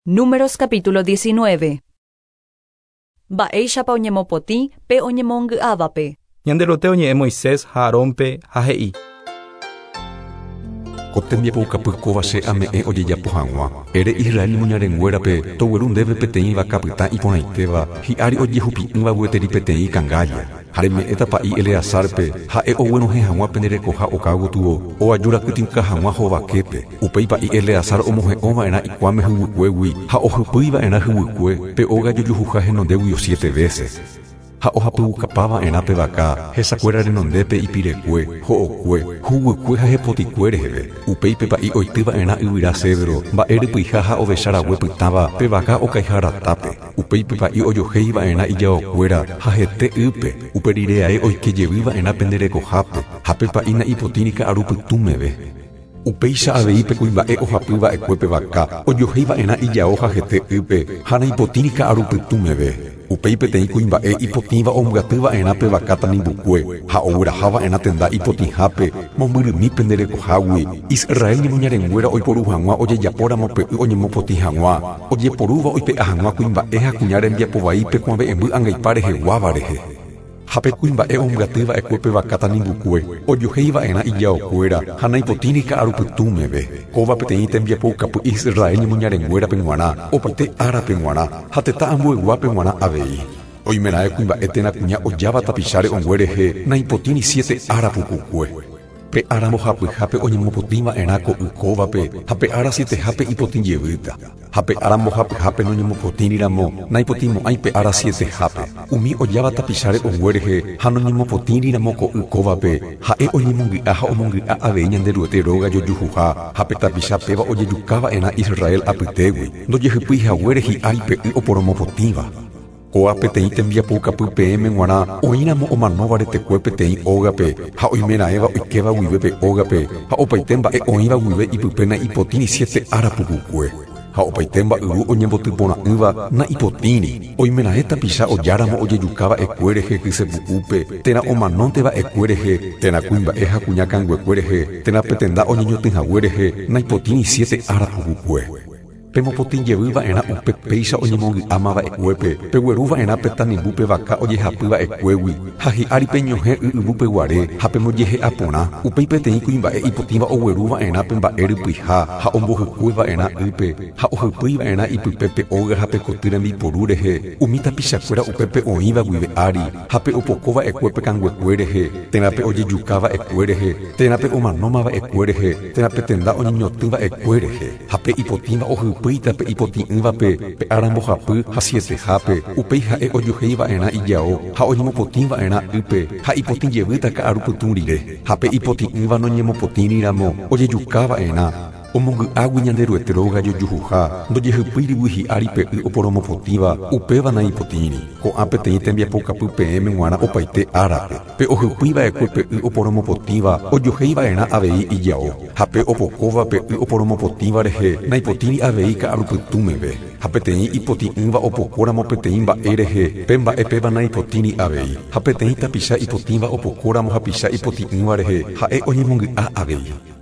Números capítulo 19. Mba'éichapa oñemopotĩ pe oñemongy'ávape. Ñanderuete oñe'ẽ Moisés ha Aarónpe ha he'i. Ko tembiapoukapy kóva che ame'ẽ ojejapo hag̃ua. Ere Israel ñemoñarenguérape togueru ndéve peteĩ vaka pytã iporãitéva, hi'ári ojehupi'ỹva gueteri peteĩ kangálla. Ha reme'ẽta pa'i Eleazárpe, ha'e oguenohẽ hag̃ua pende rekoha oka gotyo, oajurakytĩuka hag̃ua hovaképe. Upéi pa'i Eleazar omohe'õ va'erã ikuãme huguykuégui ha ohypýi va'erã huguykue pe óga jojuhuha henondéguio siete vése. Ha ohapyukapa va'erã pe vaka hesakuéra renondépe ipirekue, ho'okue, huguykue ha hepotikue reheve. Upéi pe pa'i oity va'erã yvyra cedro, mba'e rypyiha ha ovecha rague pytãva pe vaka okaiha ratápe. Upéi pe pa'i ojohéi va'erã ijaokuéra ha hete ýpe, upe rire ae oike jevy va'erã pende rekohápe, ha pe pa'i na'ipotĩri ka'aru pytũ meve. Upéicha avei pe kuimba'e ohapy va'ekue pe vaka, ojohéi va'erã ijao ha hete ýpe, ha naipotĩri ka'aru pytũ meve. Upéi peteĩ kuimba'e ipotĩva ombyaty va'erã pe vaka tanimbukue, ha ogueraha va'erã tenda ipotĩhápe, mombyrymi pende rekohágui, Israel ñemoñarenguéra oiporu hag̃ua ojejapóramo pe y oñemopotĩ hag̃ua, ojeporúva oipe'a hag̃ua kuimba'e ha kuña rembiapo vai pe kuave'ẽmby angaipa reheguáva rehe. Ha pe kuimba'e ombyaty va'ekue pe vaka tanimbukue, ojohéi va'erã ijaokuéra ha naipotĩri ka'arupytũ meve. Kóva peteĩ tembiapoukapy Israel ñemoñarenguérape g̃uarã, opaite árape g̃uarã, ha tetã ambueguápe g̃uarã avei. Oimeraẽ kuimba'e térã kuña ojáva tapicha re'õngue rehe naipotĩri siete ára pukukue. Pe ára mbohapyhápe oñemopotĩ va'erã ko y kóvape ha pe ára sietehápe ipotĩ jevýta. Ha pe ára mbohapyhápe noñemopotĩri ramo, naipotĩmo'ãi pe ára sietehápe. Umi ojáva tapicha re'õngue rehe ha noñemopotĩri ramo ko y kóvape, ha'e oñemongy'a ha omongy'a avei Ñanderuete róga jojuhuha, ha pe tapicha péva ojejuka va'erã Israel apytégui, ndojehypýi haguére hi'ári pe y oporomopotĩva. Kóa peteĩ tembiapoukapy peẽme g̃uarã oĩramo omanóva retekue peteĩ ógape ha oimeraẽva oikéva guive pe ógape ha opaite mba'e oĩva guive ipype na'ipotĩri siete ára pukukue. Ha opaite mba'yru oñembotyporã'ỹva na'ipotĩri, oimeraẽ tapicha ojáramo ojejuka va'ekue rehe kysepu'úpe, térã omanónte va'ekue rehe, térã kuimba'e ha kuña kanguekue rehe, térã pe tenda oñeñotỹ hague rehe, naipotĩri siete ára pukukue. Pemopotĩ jevy va'erã upe péicha oñemongy'áma va'ekuépe, pegueru va'erã pe tanimbu pe vaka ojehapy va'ekuégui, ha hi'ári peñohẽ y yvýpe guare ha pembojehe'a porã. Upéi peteĩ kuimba'e ipotĩva ogueru va'erã pe mba'e rypyiha ha ombohykue va'erã ýpe, ha ohypýi va'erã ipype pe óga ha pe koty rembiporu rehe, umi tapichakuéra upépe oĩva guive ári, ha pe opoko va'ekue pe kanguekue rehe, térã pe ojejuka va'ekue rehe, térã pe omanóma va'ekue rehe, térã pe tenda oñeñotỹ va'ekue rehe. Ha pe ipotĩva ohypýita pe ipotĩ'ỹvape pe ára mbohapy ha sietehápe, upéi ha'e ojohéi va'erã ijao ha oñemopotĩ va'erã ýpe ha ipotĩ jevýta ka'aru pytũ rire. Ha pe ipotĩ'ỹva noñemopotĩri ramo, ojejuka va'erã, omongy'águi Ñanderuete róga jojuhuha, ndojehypýirigui hi'ári pe y oporomopotĩva, upéva naipotĩri. Ko'ã peteĩ tembiapokapy peẽme g̃uarã opaite árape. Pe ohypýi va'ekue pe y oporomopotĩva ojohéi va'erã avei ijao. Ha pe opokóva pe y oporomopotĩva rehe naipotĩri avei ka'arupytũ meve. Ha peteĩ ipotĩ'ỹva opokóramo peteĩ mba'e rehe, pe mba'e péva naipotĩri avei. Ha peteĩ tapicha ipotĩva opokóramo hapicha ipotĩ'ỹva rehe, ha'e oñemongy'a avei.